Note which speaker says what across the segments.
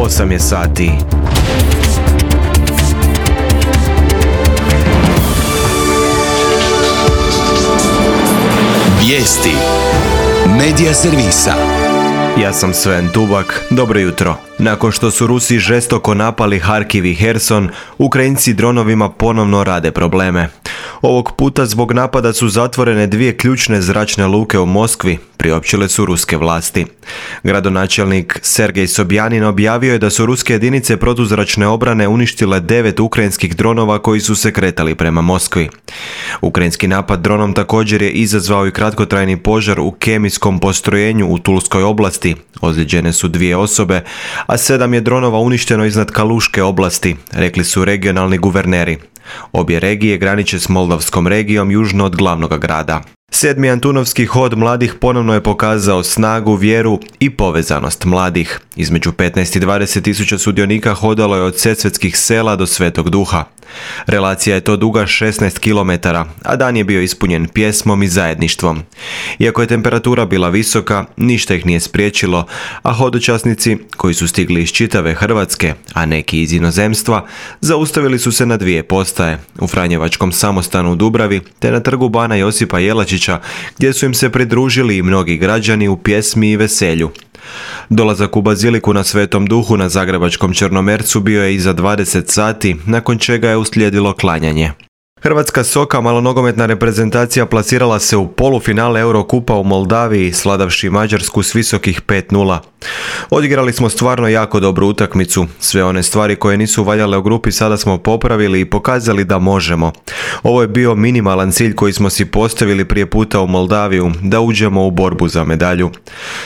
Speaker 1: 8 je sati.
Speaker 2: Vijesti Medija servisa.
Speaker 1: Ja sam Sven Tubak, dobro jutro. Nakon što su Rusi žestoko napali Harkiv i Herson, Ukrajinci dronovima ponovno rade probleme. Ovog puta zbog napada su zatvorene 2 ključne zračne luke u Moskvi, priopćile su ruske vlasti. Gradonačelnik Sergej Sobjanin objavio je da su ruske jedinice protuzračne obrane uništile 9 ukrajinskih dronova koji su se kretali prema Moskvi. Ukrajinski napad dronom također je izazvao i kratkotrajni požar u kemijskom postrojenju u Tulskoj oblasti. Ozlijeđene su 2 osobe, a 7 je dronova uništeno iznad Kaluške oblasti, rekli su regionalni guverneri. Obje regije graniče s Moldavskom regijom južno od glavnog grada. 7. Antunovski hod mladih ponovno je pokazao snagu, vjeru i povezanost mladih. Između 15 i 20 tisuća sudionika hodalo je od Sesvetskih sela do Svetog Duha. Relacija je to duga 16 km, a dan je bio ispunjen pjesmom i zajedništvom. Iako je temperatura bila visoka, ništa ih nije spriječilo, a hodočasnici, koji su stigli iz čitave Hrvatske, a neki iz inozemstva, zaustavili su se na 2 postaje, u Franjevačkom samostanu u Dubravi, te na trgu Bana Josipa Jelačića, gdje su im se pridružili i mnogi građani u pjesmi i veselju. Dolazak u baziliku na Svetom Duhu na zagrebačkom Črnomercu bio je iza 20 sati, nakon čega je uslijedilo klanjanje. Hrvatska soka malonogometna reprezentacija plasirala se u polufinale Eurokupa u Moldaviji, sladavši Mađarsku s visokih 5:0. Odigrali smo stvarno jako dobru utakmicu. Sve one stvari koje nisu valjale u grupi sada smo popravili i pokazali da možemo. Ovo je bio minimalan cilj koji smo si postavili prije puta u Moldaviju, da uđemo u borbu za medalju.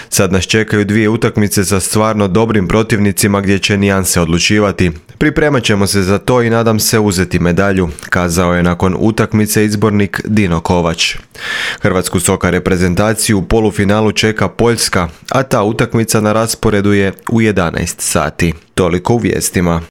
Speaker 1: Sad nas čekaju 2 utakmice sa stvarno dobrim protivnicima gdje će nijanse odlučivati. Pripremat ćemo se za to i nadam se uzeti medalju, kazao je nakon utakmice izbornik Dino Kovač. Hrvatsku soka reprezentaciju u polufinalu čeka Poljska, a ta utakmica na rasporedu je u 11 sati. Toliko u vijestima.